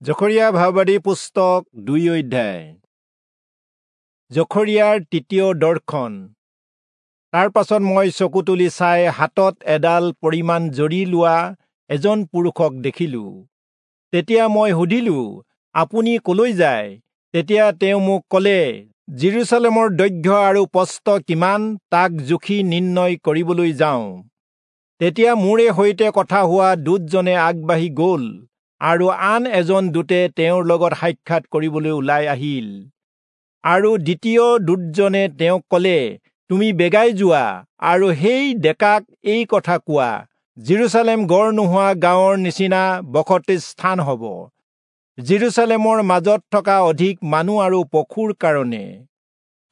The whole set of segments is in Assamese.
জখৰিয়া ভাৱবাদী পুস্তক 2 অধ্যায়। জখৰিয়াৰ তৃতীয় দৰ্শন। তাৰ পাছত মই চকু তুলি চাই হাতত এডাল পৰিমাণ জৰি লোৱা এজন পুৰুষক দেখিলো। তেতিয়া মই সুধিলো, আপুনি কলৈ যায়? তেতিয়া তেওঁ মোক ক'লে, যিৰূচালেমৰ দৈৰ্ঘ্য আৰু প্ৰস্থ কিমান তাক জুখি নিৰ্ণয় কৰিবলৈ যাওঁ। তেতিয়া মোৰে সৈতে কথা হোৱা দূতজনে আগবাঢ়ি গ'ল আৰু আন এজন দূতে তেওঁৰ লগত সাক্ষাৎ কৰিবলৈ ওলাই আহিল। আৰু দ্বিতীয় দূতজনে তেওঁক ক'লে, তুমি বেগাই যোৱা আৰু সেই ডেকাক এই কথা কোৱা, যিৰূচালেম গড় নোহোৱা গাঁৱৰ নিচিনা বসতি স্থান হ'ব, যিৰূচালেমৰ মাজত থকা অধিক মানুহ আৰু পশুৰ কাৰণে।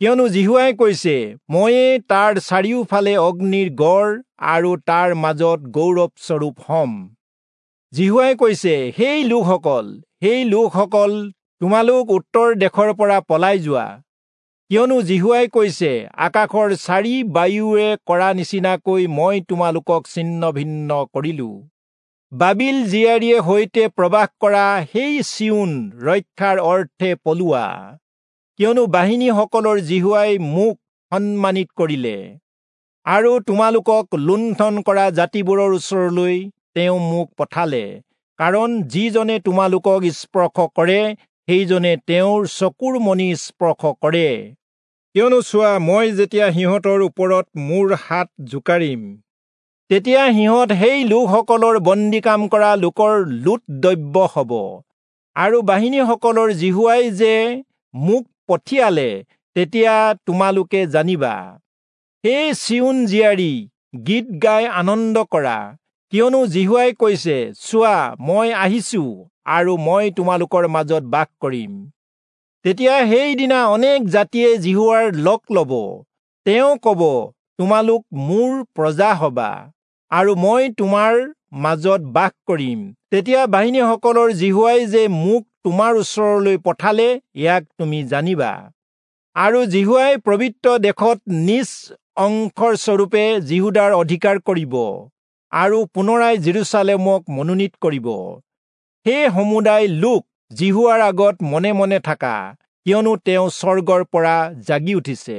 কিয়নো যিহোৱাই কৈছে, ময়ে তাৰ চাৰিওফালে অগ্নিৰ গড় আৰু তাৰ মাজত গৌৰৱস্বৰূপ হ'ম। যিহোৱাই কৈছে, সেই লোকসকল তোমালোক উত্তৰ দেশৰ পৰা পলাই যোৱা। কিয়নো যিহোৱাই কৈছে, আকাশৰ চাৰি বায়ুৱে কৰা নিচিনাকৈ মই তোমালোকক ছিন্ন ভিন্ন কৰিলো। বাবিল জীয়াৰীয়ে সৈতে প্ৰবাস কৰা সেই চিয়োন ৰক্ষাৰ অৰ্থে পলোৱা। কিয়নো বাহিনীসকলৰ যিহোৱাই মোক সন্মানিত কৰিলে আৰু তোমালোকক লুণ্ঠন কৰা জাতিবোৰৰ ওচৰলৈ তেওঁ মোক পঠালে। কাৰণ যিজনে তোমালোকক স্পৰ্শ কৰে, সেইজনে তেওঁৰ চকুৰ মণি স্পৰ্শ কৰে। কিয়নো চোৱা, মই যেতিয়া সিহঁতৰ ওপৰত মোৰ হাত জোকাৰিম, তেতিয়া সিহঁত সেই লোকসকলৰ বন্দী কাম কৰা লোকৰ লুট দ্ৰব্য হ'ব। আৰু বাহিনীসকলৰ যিহোৱাই যে মোক পঠিয়ালে, তেতিয়া তোমালোকে জানিবা। হে চিয়োন জীয়াৰী, গীত গাই আনন্দ কৰা। কিয়নো যিহোৱাই কৈছে, চোৱা, মই আহিছো আৰু মই তোমালোকৰ মাজত বাস কৰিম। তেতিয়া সেইদিনা অনেক জাতিয়ে যিহোৱাৰ লগ ল'ব। তেওঁ ক'ব, তোমালোক মোৰ প্ৰজা হবা আৰু মই তোমাৰ মাজত বাস কৰিম। তেতিয়া বাহিনীসকলৰ যিহোৱাই যে মোক তোমাৰ ওচৰলৈ পঠালে, ইয়াক তুমি জানিবা। আৰু যিহোৱাই পবিত্ৰ দেশত নিজ অংশৰ স্বৰূপে যিহূদাৰ অধিকাৰ কৰিব আৰু পুনৰাই যিৰূচালেমক মনোনীত কৰিব। সেই সমুদায় লোক যিহোৱাৰ আগত মনে মনে থাকা, কিয়নো তেওঁ স্বৰ্গৰ পৰা জাগি উঠিছে।